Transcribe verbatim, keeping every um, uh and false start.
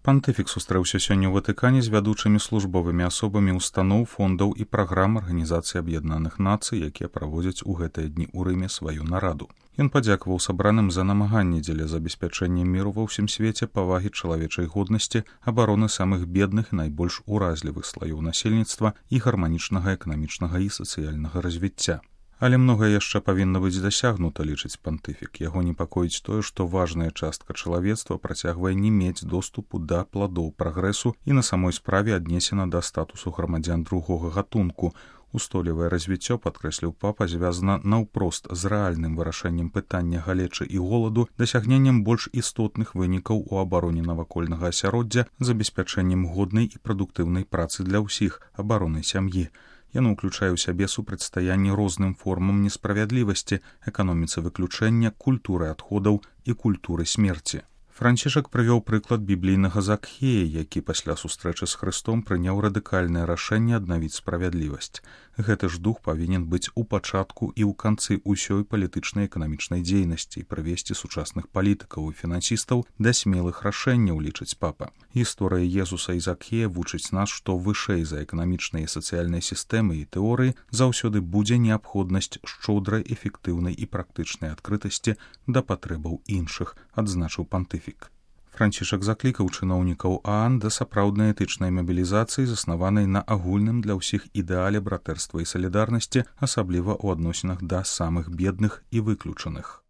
Пантыфік сустрэўся сёння ў Ватыкане з вядучымі службовымі асобамі устаноў, фондаў і праграм Арганізацыі Аб'яднаных Нацый, якія праводзяць у гэтыя дні ў Рыме сваю нараду. Ён падзякаваў сабраным за намаганні дзеля забеспячэння міру ва ўсім свеце, павагі чалавечай годнасці, абароны самых бедных і найбольш уразлівых слаёў насельніцтва і гарманічнага эканамічнага і сацыяльнага развіцця. Але многае яшчэ павінна быць дасягнута, лічыць пантыфік. Яго непакоіць тое, што важная частка чалавецтва працягвае не мець доступу да пладоў прагрэсу і на самой справе аднесена да статусу грамадзян другога гатунку. Устойлівае развіццё, падкрэсліў папа, звязана наўпрост з рэальным вырашэннем пытання галечы і голаду, дасягненнем больш істотных вынікаў у абароне навакольнага асяроддзя, забеспячэннем годнай і прадуктыўнай працы для ўсіх, абаронай сям'і. Яно ўключае ў сябе супрацьстаянне розным формам несправядлівасці, эканоміцы выключэння, культуры адходаў і культуры смерці. Францішак прывёў прыклад біблійнага Закхея, які пасля сустрэчы з Хрыстом прыняў радыкальнае рашэнне аднавіць справядлівасць. Гэты ж дух павінен быць у пачатку і ў канцы ўсёй палітычнай эканамічнай дзейнасці і прывесці сучасных палітыкаў і фінансістаў да смелых рашэнняў, лічыць папа. Гісторыя Езуса і Закхея вучыць нас, што вышэй за эканамічныя і сацыяльныя сістэмы і тэорыі заўсёды будзе неабходнасць шчодрай, эфектыўнай і практычнай адкрытасці да патрэбаў іншых, адзначыў пантыфік. Францішак заклікаў чыноўнікаў ААН да сапраўднай этычнай мабілізацыі, заснаванай на агульным для ўсіх ідэале братэрства і салідарнасці, асабліва ў адносінах да самых бедных і выключаных.